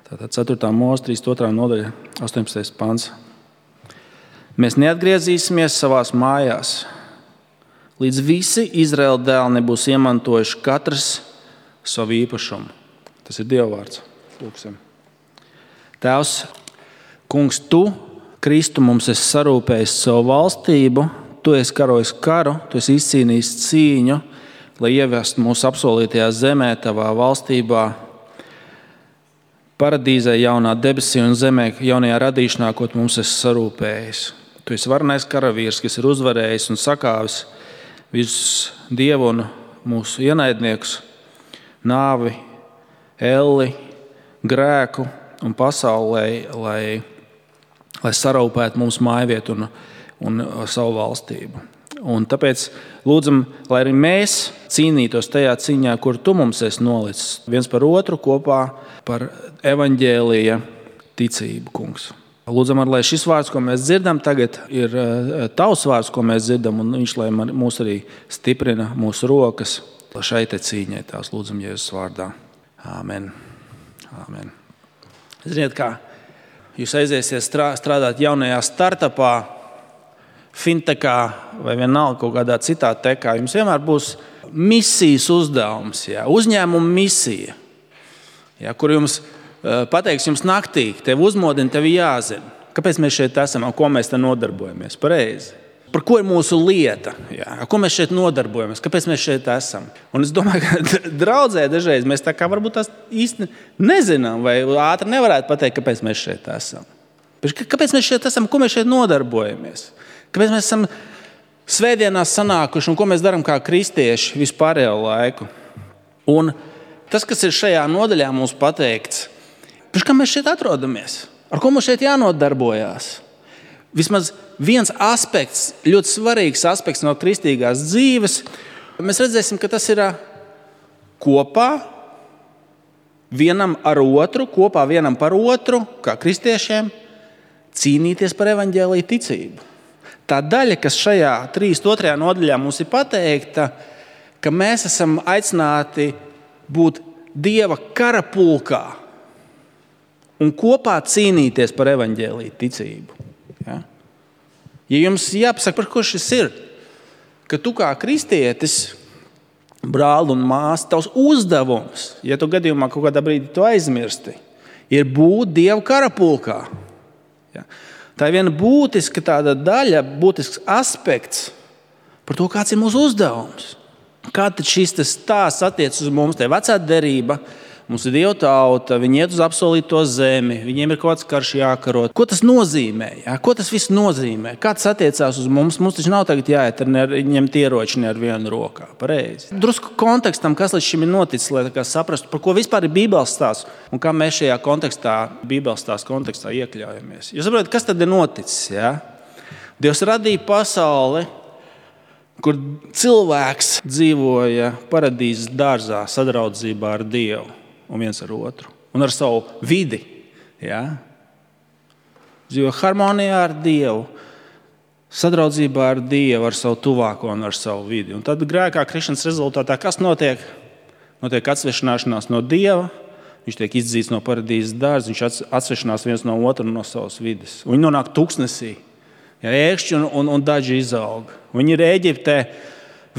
Tātad 4. mūzes 32. nodaļa, 18. pants. Mēs neatgriezīsimies savās mājās, līdz visi Izraēla dēli nebūs iemantojuši katrs savu īpašumu. Tas ir Dieva vārds. Lūksim. Tēvs, Kungs, Tu, Kristu, mums esi sarūpējis savu valstību, Tu esi karojis karu, Tu esi izcīnījis cīņu, lai ievestu mūsu apsolītajā zemē, Tavā valstībā, paradīzē, jaunā debesī un zemē, jaunajā radīšanā, ko Tu mums esi sarūpējis. Tu esi varenais karavīrs, kas ir uzvarējis un sakāvis visus Dievu un mūsu ienaidniekus, nāvi, elli, grēku un pasauli, lai sarūpētu mums mājvietu un savu valstību. Un tāpēc lūdzam, lai arī mēs cīnītos tajā cīņā, kur Tu mums esi nolicis, viens par otru kopā par evaņģēlija ticību, Kungs. Lūdzam, lai šis vārds, ko mēs dzirdam tagad, ir Tavs vārds, ko mēs dzirdam, un viņš, lai mūs arī stiprina mūsu rokas šai te cīņai. Tās lūdzam Jēzus vārdā. Āmen. Āmen. Ziniet, kā jūs aiziesiet strādāt jaunajā startupā, fintechā vai vienalga kaut kādā citā tekā, jums vienmēr būs misijas uzdevums, uzņēmuma misija, kur jums pateiks jums naktī, tev uzmodina, tev jāzina, kāpēc mēs šeit esam un ko mēs te nodarbojamies. Pareizi. Par ko ir mūsu lieta, ko mēs šeit nodarbojamies, kāpēc mēs šeit esam. Un es domāju, ka draudzē dažreiz mēs tā kā varbūt tās īsti nezinām vai ātri nevarētu pateikt, kāpēc mēs šeit esam. Kāpēc mēs šeit esam, ko mēs šeit nodarbojamies. Kāpēc mēs esam svētdienās sanākuši un ko mēs darām kā kristieši vispārējo laiku. Un tas, kas ir šajā nodaļā mums pateikts, kā mēs šeit atrodamies, ar ko mums šeit jānodarbojās. Vismaz viens aspekts, ļoti svarīgs aspekts no kristīgās dzīves, mēs redzēsim, ka tas ir kopā vienam ar otru, kopā vienam par otru, kā kristiešiem, cīnīties par evaņģēlija ticību. Tā daļa, kas šajā 32. nodaļā mums ir pateikta, ka mēs esam aicināti būt Dieva karapulkā un kopā cīnīties par evaņģēlija ticību. Ja jums jāpasaka, par ko šis ir, ka tu kā kristietis, brāli un māsa, tavs uzdevums, ja tu gadījumā kaut kādā brīdī to aizmirsti, ir būt Dieva karapulkā. Tā ir viena būtiska tāda daļa, būtisks aspekts par to, kāds ir mūsu uzdevums. Kā tad šis stāsts attiec uz mums, te vecā derība, mums ir Dieva tauta, viņi iet uz apsolīto zemi, viņiem ir kaut kāds karš jākaro. Ko tas nozīmē? Ko tas viss nozīmē? Kā tas attiecās uz mums? Mums taču nav tagad jāiet ņemt ieroči ne ar vienu rokā. Pareizi. Drusku kontekstam, kas līdz šim ir noticis, lai saprastu, par ko vispār ir Bībeles stāsts un kā mēs šajā kontekstā, Bībeles stāsta kontekstā iekļaujamies. Jūs saprotat, kas tad ir noticis? Dievs radīja pasauli, kur cilvēks dzīvoja paradīzes dārzā sadraudzībā ar Dievu. Un viens ar otru. Un ar savu vidi. Dzīvo harmonijā ar Dievu. Sadraudzībā ar Dievu, ar savu tuvāko un ar savu vidi. Un tad grēkā krišanas rezultātā kas notiek? Notiek atsvešināšanās no Dieva. Viņš tiek izdzīts no paradīzes dārza. Viņš atsvešinās viens no otru no savas vides. Un viņi nonāk tuksnesī. Ēkšķi un daži izaug. Viņi ir Ēģiptē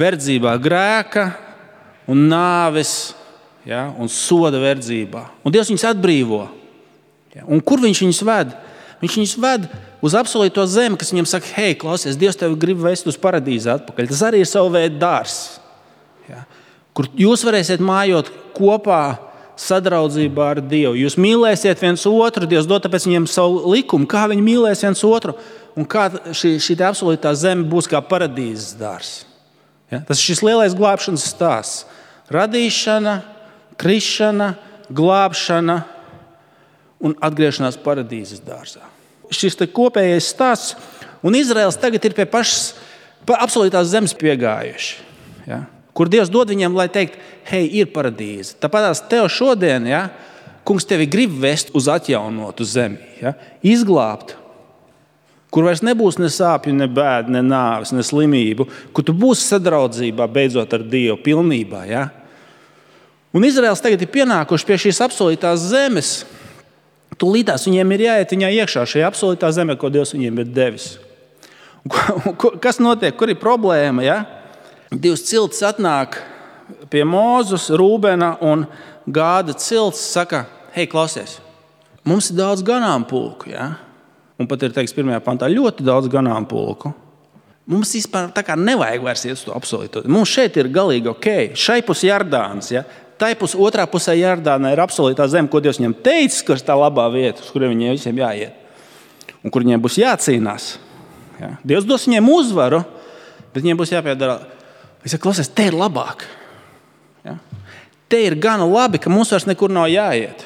verdzībā grēka un nāves un soda verdzībā. Un Dievs viņus atbrīvo. Un kur viņš viņus ved? Viņš viņus ved uz apsolīto zemi, kas viņiem saka, hei, klausies, Dievs tevi grib vest uz paradīzi atpakaļ. Tas arī ir savu veidu dārzs, kur jūs varēsiet mājot kopā sadraudzībā ar Dievu. Jūs mīlēsiet viens otru, Dievs dod tāpēc viņiem savu likumu, kā viņi mīlēs viens otru un kā šī apsolītā zeme būs kā paradīzes dārzs. Tas ir šis lielais glābšanas stāsts. Radīšana, krišana, glābšana un atgriešanās paradīzes dārzā. Šis kopējais stāsts, un Izraels tagad ir pie pašas absolūtās zemes piegājuši, kur Dievs dod viņiem, lai teikt, hei, ir paradīze. Tāpēc tev šodien, Kungs tevi grib vest uz atjaunotu zemi, izglābt, kur vairs nebūs ne sāpju, ne bēdu, ne nāves, ne slimību, kur tu būsi sadraudzībā beidzot ar Dievu pilnībā, Un Izraels tagad ir pienākuši pie šīs apsolītās zemes, Tūlītās viņiem ir jāiet viņā iekšā šajā absolūtā zemē, ko Dievs viņiem ir devis. Kas notiek? Kur ir problēma? Ja? Divas ciltis atnāk pie Mūzes, Rūbena un Gāda cilts, saka, hei, klausies, mums ir daudz ganāmpulku. Ja? Un pat ir teikts 1. pantā ļoti daudz ganāmpulku. Mums vispār tā kā nevajag vairs iet uz to absolūto. Mums šeit ir galīgi ok. Šai pus Jardāns, ja? Otrā pusē Jardānā ir absolūtā zeme, ko Dievs viņam teicis, ka ir tā labā vieta, uz kuriem viņiem visiem jāiet. Un kur viņiem būs jācīnās. Ja? Dievs dos viņiem uzvaru, bet viņiem būs jāpiedara. Viņš saka, klausies, te ir labāk. Ja? Te ir gana labi, ka mums vairs nekur nav jāiet.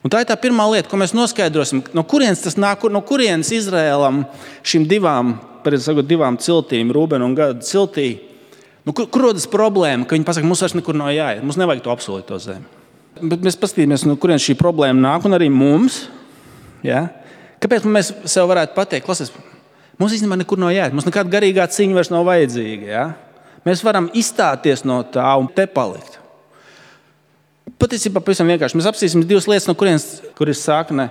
Un tā ir tā pirmā lieta, ko mēs noskaidrosim. No kurienes tas nāk, no kurienes Izraēlam šīm divām ciltīm, Rūbena un Gada ciltī, kur rodas problēma, ka viņi pasaka, mums vairs nekur nav jāiet, mums nevajag to absolūto zemi. Bet mēs paskatīsimies, no kurienes šī problēma nāk, un arī mums. Ja? Kāpēc mēs sev varētu pateikt, klausies, mums īstenībā nekur nav jāiet, mums nekāda garīgā cīņa vairs nav vajadzīga. Ja? Mēs varam izstāties no tā un te palikt. Patiesībā pavisam vienkārši. Mēs apstīsim divas lietas, no kur ir sākne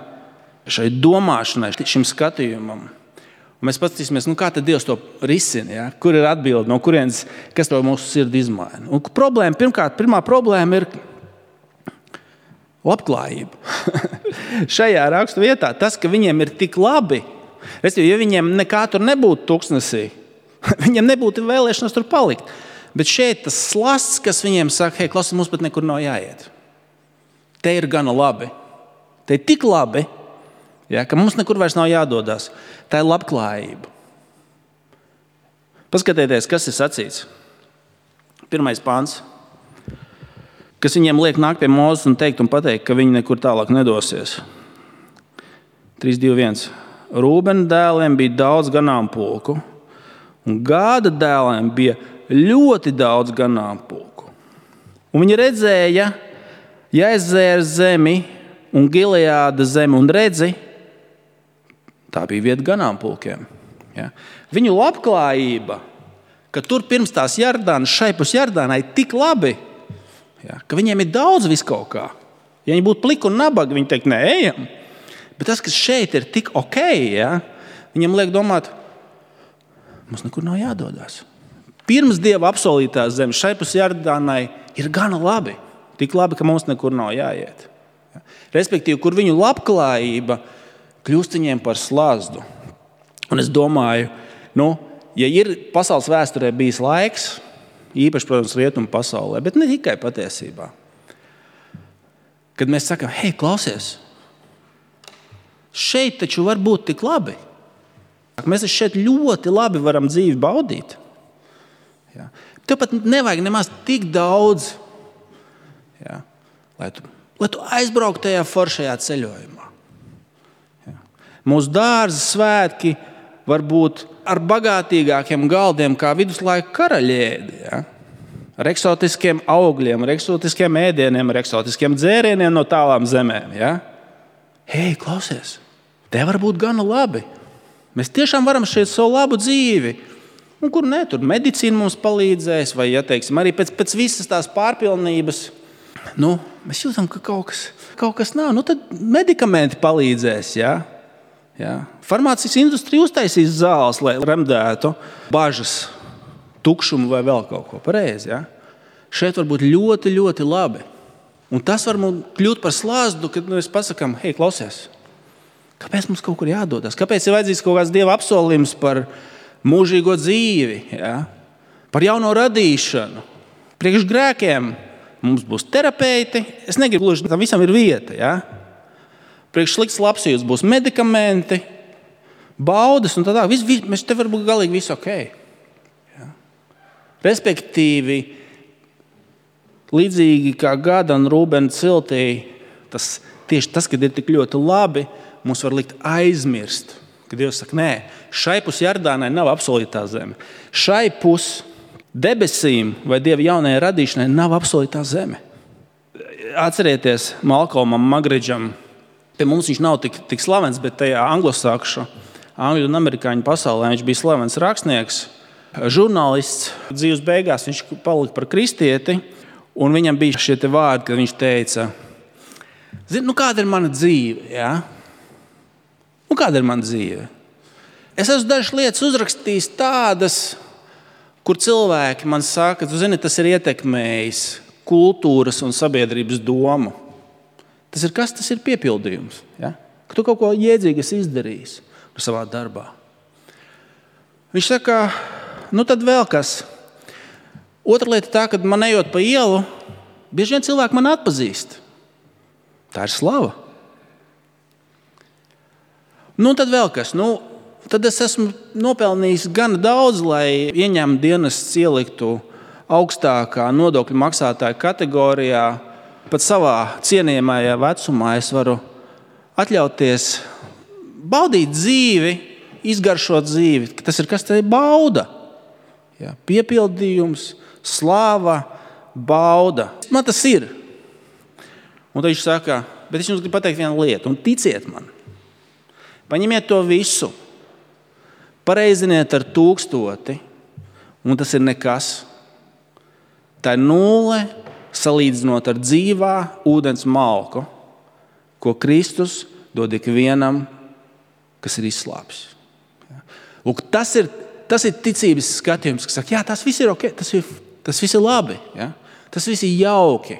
šai domāšanai, šim skatījumam. Un mēs paskatīsimies, kā tad Dievs to risina, ja? Kur ir atbilde, no kurienes, kas to mūsu sirdi izmaina. Un pirmā problēma ir labklājība. Šajā rakstu vietā tas, ka viņiem ir tik labi, ja viņiem nekā tur nebūtu tuksnesī, viņiem nebūtu vēlēšanas tur palikt. Bet šeit tas slasts, kas viņiem saka, hei, klausies, mums pat nekur nav jāiet. Te ir gana labi. Te ir tik labi, ja, ka mums nekur vairs nav jādodas. Tā ir labklājība. Paskatieties, kas ir sacīts. 1. pāns. Kas viņiem liek nākt pie Mūzes un pateikt, ka viņi nekur tālāk nedosies. 3:2:1. Rūbena dēliem bija daudz ganāmpulku, un Gāda dēliem bija ļoti daudz ganāmpulku. Un viņi redzēja Jezēra zemi un Gileāda zemi un redzi, tā bija vieta ganāmpulkiem. Ja? Viņu labklājība, ka tur pirms tās Jardānas, šai pus Jardānai tik labi, ja? Ka viņiem ir daudz viskaut kā. Ja viņi būtu pliki un nabagi, viņi teikt, nē, ejam. Bet tas, kas šeit ir tik ok, ja? Viņam liek domāt, mums nekur nav jādodas. Pirms Dieva apsolītās zemes šai pus Jardānai ir gana labi. Tik labi, ka mums nekur nav jāiet. Ja? Respektīvi, kur viņu labklājība kļūst viņiem par slazdu. Un es domāju, ja ir pasaules vēsturē bijis laiks, īpaši, protams, rietumu pasaulē, bet ne tikai patiesībā, kad mēs sakam, hei, klausies, šeit taču var būt tik labi. Mēs šeit ļoti labi varam dzīvi baudīt. Ja? Tev pat nevajag nemaz tik daudz, ja? lai tu aizbrauktu tajā foršajā ceļojumā. Mūsu dārza svētki var būt ar bagātīgākiem galdiem, kā viduslaiku karaļi ēda. Ja? Ar eksotiskiem augļiem, ar eksotiskiem ēdieniem, ar eksotiskiem dzērieniem no tālām zemēm. Ja? Hei, klausies, te var būt gana labi. Mēs tiešām varam šeit savu labu dzīvi. Un kur ne, tur medicīna mums palīdzēs, vai, ja teiksim, arī pēc visas tās pārpilnības, mēs jūtam, ka kaut kas nav. Tad medikamenti palīdzēs, ja? Ja. Farmācijas industrija uztaisīs zāles, lai remdētu bažas, tukšumu vai vēl kaut ko pareizi. Ja. Šeit var būt ļoti, ļoti labi. Un tas var mums kļūt par slazdu, kad mēs pasakām, hei, klausies, kāpēc mums kaut kur jādodas? Kāpēc ir vajadzīgs kaut kāds Dieva apsolījums par mūžīgo dzīvi, ja? Par jauno radīšanu? Priekš grēkiem mums būs terapeiti. Es negribu gluži, tam visam ir vieta, ja? Priekš slikts labsajūtas būs medikamenti, baudas un tādā. Mēs te var būt galīgi visu ok. Ja? Respektīvi, līdzīgi kā Gada un Rūbena ciltī, tieši tas, kad ir tik ļoti labi, mums var likt aizmirst. Kad Dievs saka, nē, šai pus Jardānai nav apsolītā zeme. Šai pus debesīm vai Dieva jaunajai radīšanai nav apsolītā zeme. Atcerieties Malkolmam Magridžam. Pie mums viņš nav tik slavens, bet tajā anglosakšu, angļu un amerikāņu pasaulē viņš bija slavens rakstnieks, žurnālists. Dzīves beigās viņš palika par kristieti, un viņam bija šie te vārdi, kad viņš teica, Zini, kāda ir mana dzīve? Ja? Kāda ir mana dzīve? Es esmu dažas lietas uzrakstījis tādas, kur cilvēki man saka, tu zini, tas ir ietekmējis kultūras un sabiedrības domu. Tas ir kas? Tas ir piepildījums. Ja? Ka tu kaut ko jēdzīgi esi izdarījis savā darbā. Viņš saka, tad vēl kas. Otra lieta tā, kad man ejot pa ielu, bieži vien cilvēki man atpazīst. Tā ir slava. Tad vēl kas. Tad es esmu nopelnījis gana daudz, lai ieņēmuma dienests ieliktu augstākā nodokļu maksātāja kategorijā. Pat savā cienījamajā vecumā es varu atļauties baudīt dzīvi, izgaršot dzīvi. Tas ir kas? Tā ir bauda. Ja, piepildījums, slāva, bauda. Man tas ir. Un tad viņš saka, bet es jums gribu pateikt vienu lietu, un ticiet man. Paņemiet to visu, pareiziniet ar 1000, un tas ir nekas. Tā ir 0 salīdzinot ar dzīvā ūdens malku, ko Kristus dod ikvienam, kas ir izslāpis. Lūk, tas ir ticības skatījums, kas saka, jā, tas viss ir ok, tas viss ir labi, ja? Tas viss ir jauki.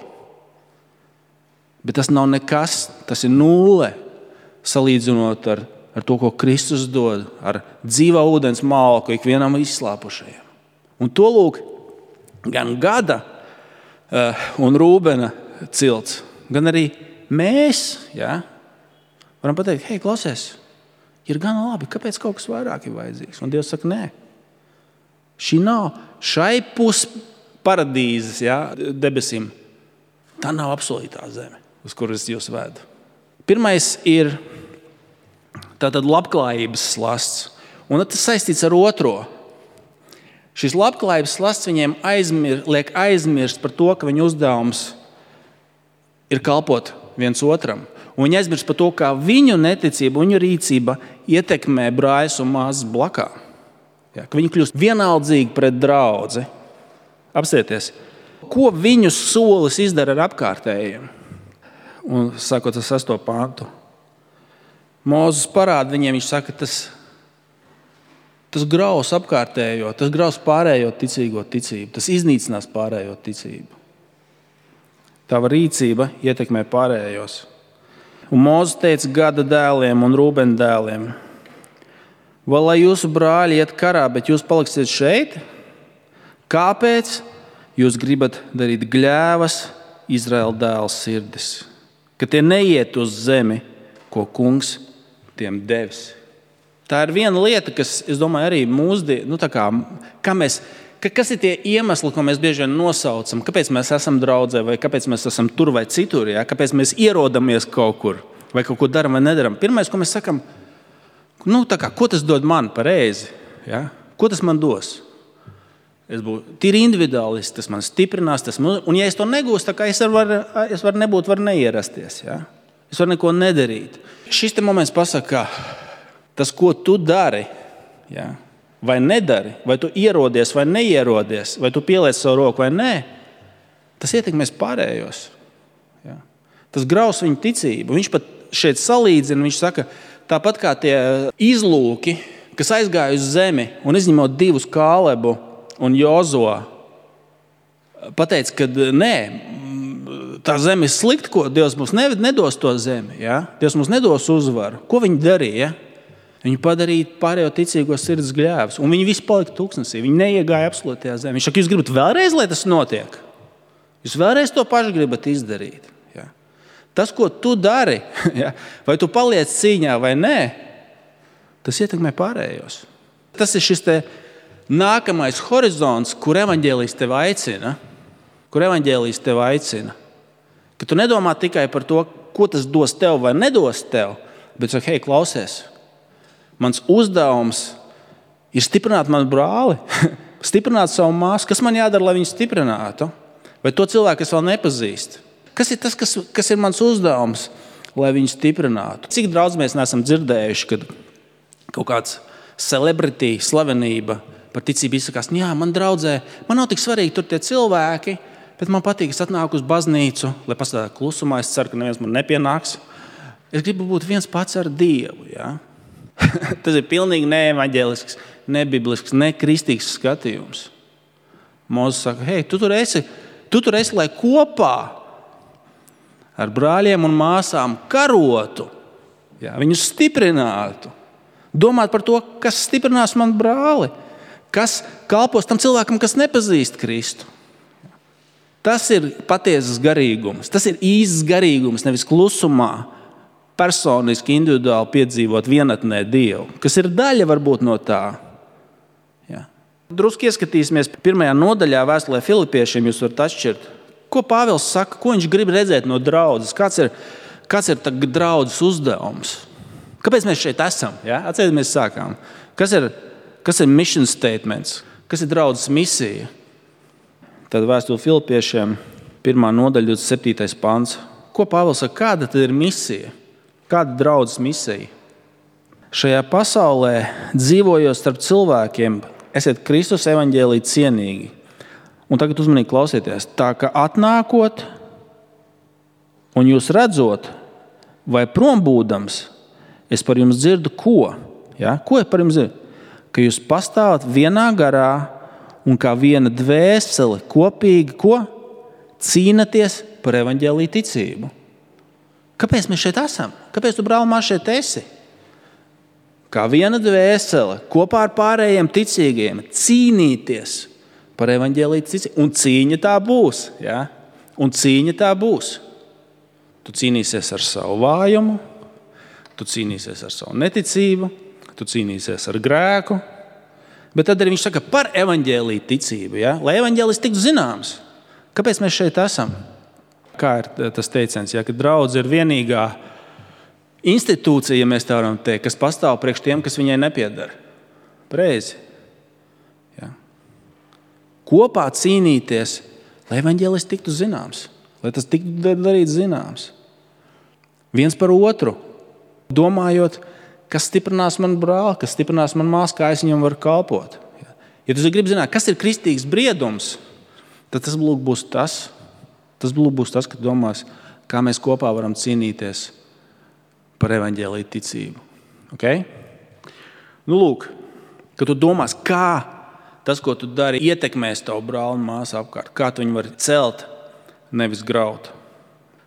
Bet tas nav nekas, tas ir 0 salīdzinot ar to, ko Kristus dod, ar dzīvā ūdens malku ikvienam izslāpušajam. Un to lūk, gan Gada un Rūbena cilts, gan arī mēs, ja, varam pateikt, hei, klausies, ir gana labi, kāpēc kaut kas vairāk ir vajadzīgs? Un Dievs saka, nē, šai pus paradīzes, ja, debesīm, tā nav apsolītā zeme, uz kuras jūs vedu. Pirmais ir tātad labklājības slasts, un tas saistīts ar otro. Šis labklājības slasts viņiem liek aizmirst par to, ka viņu uzdevums ir kalpot viens otram. Un viņi aizmirst par to, kā viņu neticība, viņu rīcība ietekmē brāļus un māsas blakā. Ja, ka viņi kļūst vienaldzīgi pret draudzi. Apsieties, ko viņu solis izdara ar apkārtējiem? Un sākot ar 6. pantu. Mūzes parāda viņiem, viņš saka, tas graus apkārtējo, tas graus pārējo ticīgo ticību, tas iznīcinās pārējo ticību. Tava rīcība ietekmē pārējos. Un Mūzes teica Gada dēliem un Rūbena dēliem, vai lai jūsu brāļi iet karā, bet jūs paliksiet šeit? Kāpēc jūs gribat darīt gļēvas Izraēla dēla sirdis, ka tie neiet uz zemi, ko kungs tiem devis? Tā ir viena lieta, kas, es domāju, arī mūsdienu, kas ir tie iemesli, ko mēs bieži vien nosaucam, kāpēc mēs esam draudzē, vai kāpēc mēs esam tur vai citur, ja? Kāpēc mēs ierodamies kaut kur, vai kaut ko daram vai nedaram. Pirmais, ko mēs sakam, ko tas dod man pareizi? Ja? Ko tas man dos? Es būtu tīri individuālists, tas man stiprinās, un ja es to negūstu, es varu nebūt, varu neierasties. Ja? Es varu neko nedarīt. Šis te moments pasaka, tas, ko tu dari, ja, vai nedari, vai tu ierodies vai neierodies, vai tu pieliec savu roku vai nē, tas ietekmēs pārējos. Ja. Tas graus viņu ticību. Viņš pat šeit salīdzina, viņš saka, tāpat kā tie izlūki, kas aizgāja uz zemi un izņemot 2 Kālebu un Jozuā, pateica, ka nē, tā zeme ir slikta, ko Dievs mums nedos to zemi. Ja? Dievs mums nedos uzvaru. Ko viņi darīja? Viņi padarīja pārējo ticīgo sirds gļēvus, un viņi visi palika tūkstnesī. Viņi neiegāja absolūtajā zemē. Viņš saka, jūs gribat vēlreiz, lai tas notiek? Jūs vēlreiz to pašu gribat izdarīt? Ja? Tas, ko tu dari, ja? Vai tu paliec cīņā vai nē, tas ietekmē pārējos. Tas ir šis te nākamais horizonts, kur evaņģēlijs tev aicina. Ka tu nedomā tikai par to, ko tas dos tev vai nedos tev, bet saka, hei, klausies, mans uzdevums ir stiprināt manu brāli, stiprināt savu māsu. Kas man jādara, lai viņu stiprinātu? Vai to cilvēku, kas vēl nepazīst? Kas ir tas, kas ir mans uzdevums, lai viņu stiprinātu? Cik daudz mēs neesam dzirdējuši, kad kaut kāds slavenība par ticību izsakās, jā, man draudzē, man nav tik svarīgi tur tie cilvēki, Bet man patīk, es atnāku uz baznīcu, lai pastāvētu klusumā. Es ceru, ka neviens man nepienāks. Es gribu būt viens pats ar Dievu. Ja? Tas ir pilnīgi neevaņģēlisks, nebiblisks, nekristīgs skatījums. Mūzes saka, hei, tu tur esi, lai kopā ar brāļiem un māsām karotu, ja? Viņus stiprinātu. Domāt par to, kas stiprinās man brāli, kas kalpos tam cilvēkam, kas nepazīst Kristu. Tas ir patiesas garīgums, tas ir īsts garīgums, nevis klusumā, personiski, individuāli piedzīvot vienatnē Dievu, kas ir daļa varbūt no tā. Ja. Drusku ieskatīsimies 1. nodaļā vēstulē Filipiešiem, jūs varat atšķirt. Ko Pāvils saka, ko viņš grib redzēt no draudzes, kāds ir draudzes uzdevums? Kāpēc mēs šeit esam? Ja? Atcerieties, mēs sākām. Kas ir mission statements? Kas ir draudzes misija? Tad vēstule Filipiešiem 1. nodaļa 27. pants. Ko Pāvils saka? Kāda tad ir misija? Kāda draudzes misija? Šajā pasaulē, dzīvojot starp cilvēkiem, esiet Kristus evaņģēlī cienīgi. Un tagad uzmanīgi klausieties. Tā ka atnākot un jūs redzot, vai prombūdams, es par jums dzirdu ko? Ja? Ko es par jums dzirdu? Ka jūs pastāvat vienā garā un kā viena dvēsele kopīgi ko? Cīnaties par evaņģēlī ticību. Kāpēc mēs šeit esam? Kāpēc tu, brāl, mās šeit esi? Kā viena dvēsele kopā ar pārējiem ticīgiem cīnīties par evaņģēlī ticību. Un cīņa tā būs. Ja? Un cīņa tā būs. Tu cīnīsies ar savu vājumu, tu cīnīsies ar savu neticību, tu cīnīsies ar grēku. Bet tad arī viņš saka par evaņģēlī ticību, ja? Lai evaņģēlis tiktu zināms. Kāpēc mēs šeit esam? Kā ir tas teiciens, ja? Ka draudze ir vienīgā institūcija, ja mēs tā varam teikt, kas pastāv priekš tiem, kas viņai nepiedara. Pareizi. Ja? Kopā cīnīties, lai evaņģēlis tiktu zināms, lai tas tiktu darīts zināms. Viens par otru. Domājot, kas stiprinās man brāli, kas stiprinās man māsu, kā es viņam varu kalpot. Ja tu gribi zināt, kas ir kristīgs briedums, tad tas būs tas, ka domās, kā mēs kopā varam cīnīties par evaņģēlī ticību. Okay? Nu, lūk, ka tu domās, kā tas, ko tu dari, ietekmēs tavu brāli un māsu apkārt, kā tu viņu vari celt, nevis graut.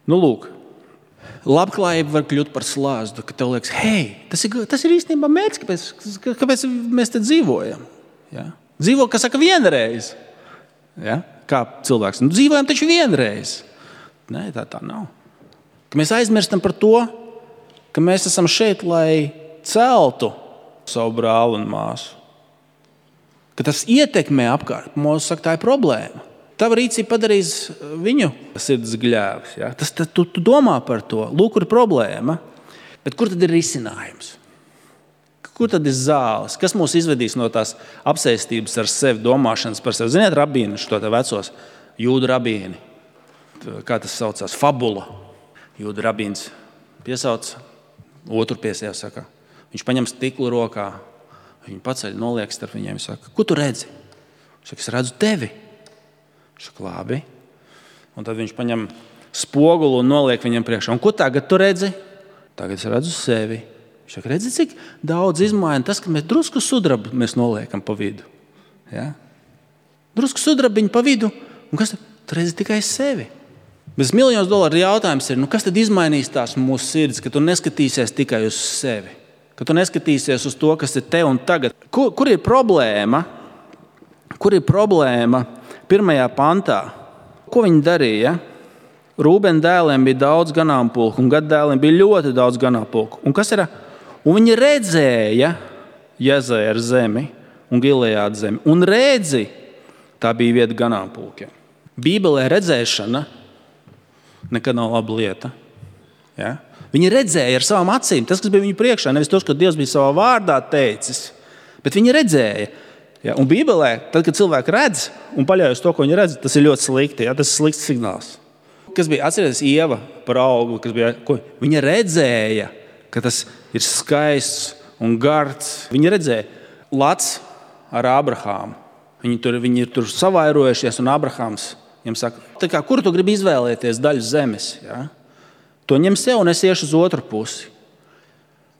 Nu, lūk, labklājība var kļūt par slāzdu, ka tev liekas, hei, tas ir īstenībā mērķis, kāpēc mēs te dzīvojam. Ja? Dzīvo, kas saka, vienreiz. Ja? Kā cilvēks. Nu, dzīvojam taču vienreiz. Nē, tā nav. Ka mēs aizmirstam par to, ka mēs esam šeit, lai celtu savu brāli un māsu. Ka tas ietekmē apkārt. Mūsu saka, tā ir problēma. Tava rīcība padarīs viņu sirds gļēvs. Ja? Tu domā par to. Lūk, kur ir problēma. Bet kur tad ir risinājums? Kur tad ir zāles? Kas mūs izvedīs no tās apsēstības ar sevi, domāšanas par sevi? Ziniet, rabīni, šo te vecos jūdu rabīni. Kā tas saucās? Fabula. Jūdu rabīns piesauc, otru piesauc, saka. Viņš paņem stiklu rokā, viņu paceļ, noliek starp viņiem, saka, ko tu redzi? Viņš saka, es redzu tevi. Šak, labi. Un tad viņš paņem spogulu un noliek viņam priekšā. Un ko tagad tu redzi? Tagad es redzu sevi. Viņš saka, redzi, cik daudz izmaina tas, ka mēs drusku sudrabu mēs noliekam pa vidu. Ja? Drusku sudrabiņu pa vidu. Un kas tad? Tu redzi tikai sevi. Bet $1 000 jautājums ir, kas tad izmainīs tās mūsu sirds, ka tu neskatīsies tikai uz sevi? Ka tu neskatīsies uz to, kas ir te un tagad. Kur ir problēma? Kur ir problēma? 1. pantā. Ko viņi darīja? Rūbena dēliem bija daudz ganāmpulku, un Gad dēliem bija ļoti daudz ganāmpulku. Un kas ir? Un viņi redzēja Jezēra zemi un Gilejāda zemi. Un redzi, tā bija vieta ganāmpulkiem. Bībelē redzēšana nekad nav laba lieta. Ja? Viņi redzēja ar savām acīm, tas, kas bija viņu priekšā, nevis tos, ko Dievs bija savā vārdā teicis, bet viņi redzēja. Ja, un Bībelē, tad, kad cilvēki redz un paļaujas to, ko viņi redz, tas ir ļoti slikti. Ja, tas ir slikts signāls. Kas bija, atcerieties, Ieva par augli, viņa redzēja, ka tas ir skaists un gards. Viņa redzēja Lats ar Abrahāmu. Viņi ir tur savairojušies, un Abrahāms Viņam saka, kur tu gribi izvēlēties daļu zemes? Ja? To ņem sev un es iešu uz otru pusi.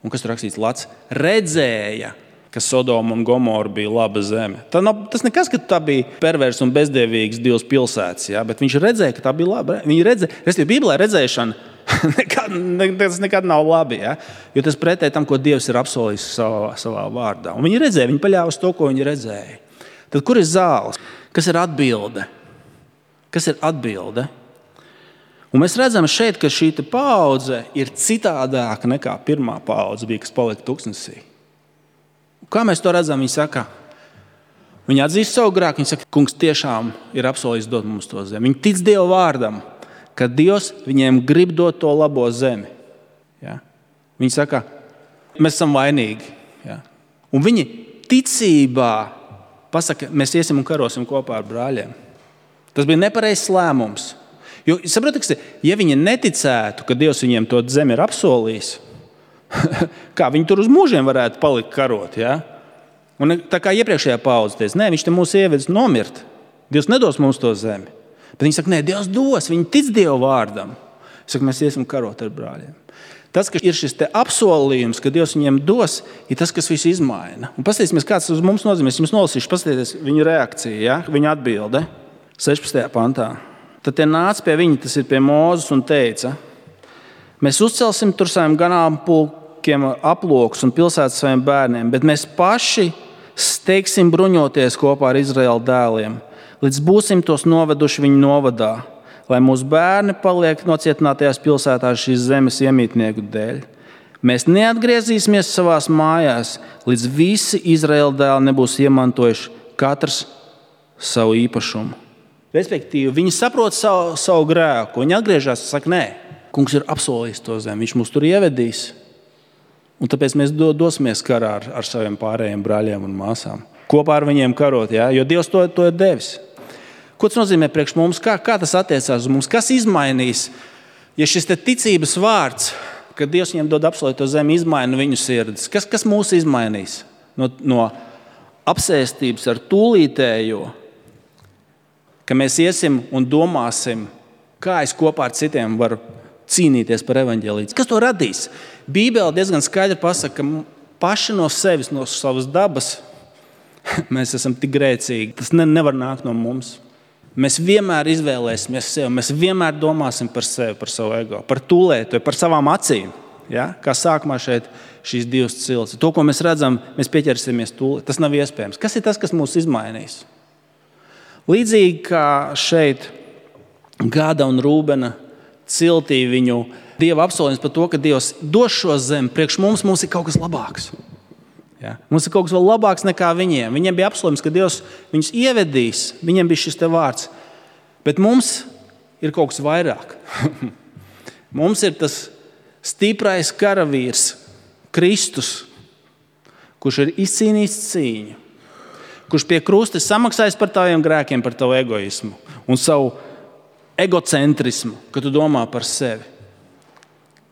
Un kas tur rakstīts? Lats redzēja, ka Sodoma un Gomora bija laba zeme. Tas nekas, ka tā bija pervers un bezdievīgs divas pilsētas, ja? Bet viņš redzēja, ka tā bija laba. Viņi redzēja, Bībelē redzēšana tas nekad nav labi, ja? Jo tas pretēji tam, ko Dievs ir apsolījis savā vārdā. Un viņi redzēja, viņi paļāvās to, ko viņi redzēja. Tad kur ir zāles? Kas ir atbilde? Kas ir atbilde? Un mēs redzam šeit, ka šī paudze ir citādāka nekā pirmā paudze bija, kas palika tuksnesī. Kā mēs to redzam? Viņi saka, viņi atzīst savu grēku, viņi saka, kungs tiešām ir apsolījis dot mums to zemi. Viņi tic Dieva vārdam, ka Dievs viņiem grib dot to labo zemi. Ja? Viņi saka, mēs esam vainīgi. Ja? Un viņi ticībā pasaka, mēs iesim un karosim kopā ar brāļiem. Tas bija nepareizs lēmums. Jo, saprotiet, ja viņi neticētu, ka Dievs viņiem to zemi ir apsolījis, kā viņi tur uz mūžiem varētu palikt karot. Ja? Un tā kā iepriekšējā paudze teica, nē, viņš te mūs ievedis nomirt. Dievs nedos mums to zemi. Bet viņi saka, nē, Dievs dos, viņi tic Dieva vārdam. Saka, mēs iesim karot ar brāļiem. Tas, ka ir šis te apsolījums, ka Dievs viņiem dos, ir tas, kas visu izmaina. Un paskatīsimies, kāds uz mums nozīmē. Es jums nolasīšu, paskatieties viņa reakcija, ja? Viņa atbilde 16. pantā. Tad tie nāca pie viņa, tas ir pie Mūzes, un teica, mēs uzcelsim tur saviem ganāmpulkiem aplokus un pilsētas saviem bērniem, bet mēs paši steigsim bruņoties kopā ar Izraēla dēliem, līdz būsim tos noveduši viņu novadā, lai mūsu bērni paliek nocietinātajās pilsētās šīs zemes iemītnieku dēļ. Mēs neatgriezīsimies savās mājās, līdz visi Izraēla dēli nebūs iemantojuši katrs savu īpašumu. Respektīvi, viņi saprot savu grēku, viņi atgriežas un saka, nē, kungs ir apsolījis to zemi, viņš mūs tur ievedīs. Un tāpēc mēs dosimies karā ar saviem pārējiem brāļiem un māsām. Kopā ar viņiem karot, ja? Jo Dievs to ir devis. Ko tas nozīmē priekš mums? Kā tas attiecās uz mums? Kas izmainīs, ja šis ticības vārds, ka Dievs viņiem dod apsolīto zemi, izmaina viņu sirdis? Kas mūs izmainīs? No apsēstības ar tūlītējo, ka mēs iesim un domāsim, kā es kopā ar citiem varu cīnīties par evaņģēliju. Kas to radīs? Bībele diezgan skaidri pasaka, ka paši no sevis, no savas dabas, mēs esam tik grēcīgi. Tas nevar nākt no mums. Mēs vienmēr izvēlēsimies sevi, mēs vienmēr domāsim par sevi, par savu ego, par tūlēto, par savām acīm. Ja? Kā sākumā šeit šīs divas cilts. To, ko mēs redzam, mēs pieķersimies tūlīt. Tas nav iespējams. Kas ir tas, kas mūs izmainīs? Līdzīgi kā šeit Gāda un Rūbena ciltī viņu Dieva apsolījums par to, ka Dievs dos šo zemi, priekš mums ir kaut kas labāks. Ja? Mums ir kaut kas vēl labāks nekā viņiem. Viņiem bija apsolījums, ka Dievs viņus ievedīs. Viņiem bija šis te vārds. Bet mums ir kaut kas vairāk. Mums ir tas stiprais karavīrs, Kristus, kurš ir izcīnījis cīņu. Kurš pie krusta samaksājis par taviem grēkiem, par tavu egoismu un savu egocentrismu, ka tu domā par sevi.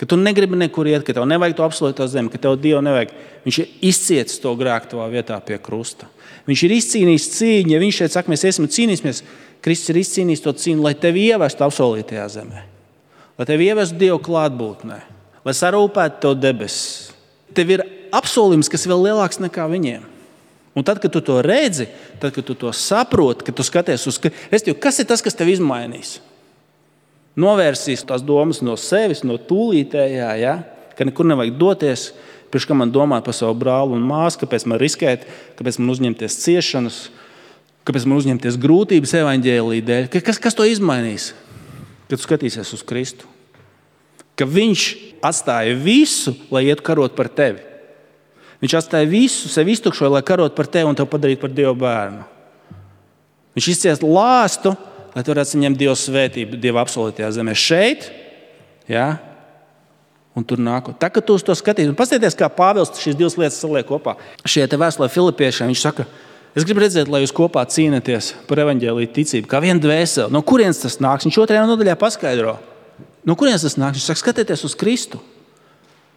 Ka tu negribi nekur iet, ka tev nevajag to apsolīto zemi, ka tev Dievu nevajag. Viņš ir izcietis to grēku tavā vietā pie krusta. Viņš ir izcīnījis cīņu. Ja viņš šeit saka, mēs iesim un cīnīsimies, Kristus ir izcīnījis to cīņu, lai tevi ievestu apsolītajā zemē. Lai tevi ievestu Dievu klātbūtnē. Lai sarūpētu tev debesis. Tev ir apsolījums, kas vēl lielāks nekā viņiem. Un tad, kad tu to redzi, tad, kad tu to saproti, kad tu skaties uz... Kas ir tas, kas tev izmainīs? Novērsīs tās domas no sevis, no tūlītējā, ja? Ka nekur nevajag doties, priekš kā man domāt par savu brāli un māsu, kāpēc man riskēt, kāpēc man uzņemties ciešanas, kāpēc man uzņemties grūtības evaņģēlija dēļ. Kas to izmainīs? Kad tu skatīsies uz Kristu. Ka viņš atstāja visu, lai ietu karot par tevi. Viņš atstāja visu, sevi iztukšoja, lai karot par tevi un tev padarītu par Dieva bērnu. Viņš izciest lāstu, lai tu varētu saņemt Dieva svētību, Dieva apsolītajā zemē šeit, ja? Un tur nākot. Tā, kad tu uz to skatīsi, un paskatieties, kā Pāvils šīs divas lietas saliek kopā. Šie te vēstulē Filipiešiem, viņš saka, es gribu redzēt, lai jūs kopā cīnaties par evaņģēliju ticību, kā viena dvēseli. No kurienes tas nāks? Viņš 2. nodaļā paskaidro. No kurienes tas nāks? Viņš saka, skatieties uz Kristu.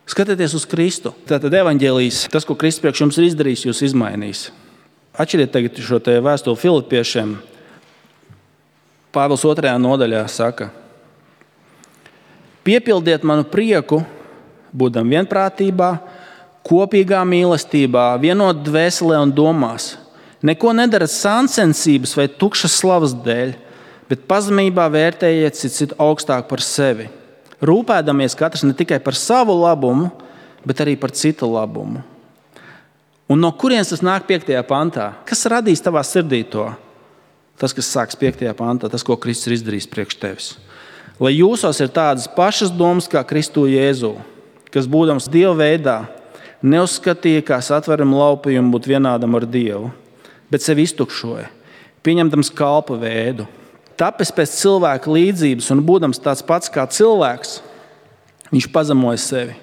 Skatieties uz Kristu. Tātad evaņģēlijs, tas, ko Kristus priekš jums ir izdarījis, jūs izmainīs. Atšķiriet tagad šo te vēstuli Filipiešiem. Pāvils 2. nodaļā saka: piepildiet manu prieku, būdam vienprātībā, kopīgā mīlestībā, vienot dvēselē un domās. Neko nedarat sāncensības vai tukšas slavas dēļ, bet pazemībā vērtējiet citu augstāk par sevi. Rūpēdamies katrs ne tikai par savu labumu, bet arī par citu labumu. Un no kurienes tas nāk 5. pantā? Kas radīs tavā sirdī to? Tas, kas sāks 5. pantā, tas, ko Kristus ir izdarījis priekš tevis. Lai jūsos ir tādas pašas domas kā Kristu Jēzu, kas būdams Dieva veidā, neuzskatīja kā satverumu laupījumu būt vienādam ar Dievu, bet sevi iztukšoja, pieņemdams kalpa veidu. Tapis pēc cilvēka līdzības un būdams tāds pats kā cilvēks, viņš pazemoja sevi,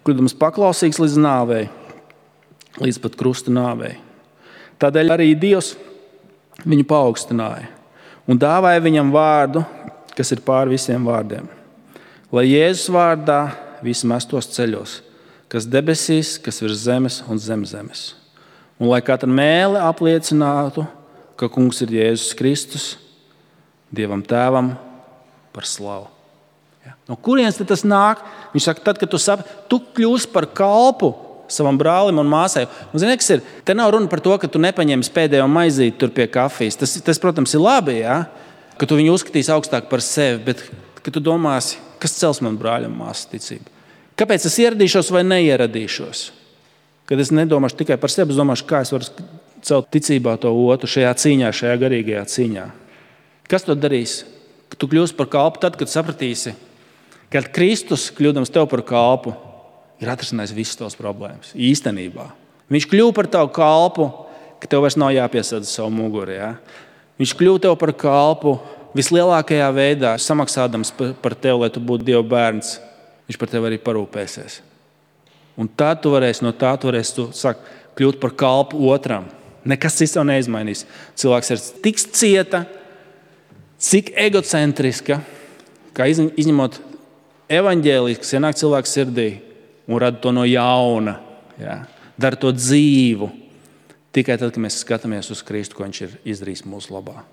kļūdams paklausīgs līdz nāvei, līdz pat krusta nāvei. Tādēļ arī Dievs viņu paaugstināja un dāvāja viņam vārdu, kas ir pār visiem vārdiem. Lai Jēzus vārdā visi mestos ceļos, kas debesīs, kas virs zemes un zem zemes. Un lai katra mēle apliecinātu, ka Kungs ir Jēzus Kristus, Dievam Tēvam par slavu. Ja. No kurienes tas nāk? Viņš saka, tad, kad tu kļūsi par kalpu savam brālim un māsai. Un zini, kas ir? Te nav runa par to, ka tu nepaņemsi pēdējo maizīti tur pie kafijas. Tas, protams, ir labi, ja? Ka tu viņu uzskatīsi augstāk par sevi, bet ka tu domāsi, kas cels man brāļam māsas ticību. Kāpēc es ieradīšos vai neieradīšos? Kad es nedomāšu tikai par sevi, es domāšu, kā es varu celt ticībā to otru šajā cīņā, šajā garīgajā cīņā. Kas to darīs? Tu kļūsi par kalpu tad, kad sapratīsi, ka Kristus, kļūdams tev par kalpu, ir atrisinājis visas tavas problēmas. Īstenībā. Viņš kļuva par tavu kalpu, ka tev vairs nav jāpiesadz savu muguri. Ja? Viņš kļuva tev par kalpu vislielākajā veidā, samaksādams par tevi, lai tu būtu Dieva bērns. Viņš par tevi arī parūpēsies. Un tad tu varēsi kļūt par kalpu otram. Nekas cits tev neizmainīs. Cilvēks ir tik cieta, cik egocentriska, kā izņemot evaņģēliju, kas ienāk cilvēku sirdī un rada to no jauna. Ja? Dara to dzīvu. Tikai tad, kad mēs skatāmies uz Kristu, ko viņš ir izdarījis mūsu labā.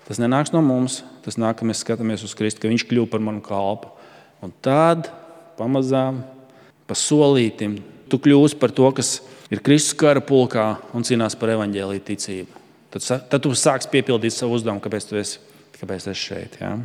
Tas nenāks no mums, tas nāk, ka mēs skatāmies uz Kristu, ka viņš kļuva par manu kalpu. Un tad pamazām, pa solītim, tu kļūsi par to, kas ir Kristus kara pulkā un cīnās par evaņģēliju ticību. Tad tu sāksi piepildīt savu uzdevumu, kāpēc tu esi šeit. Ja?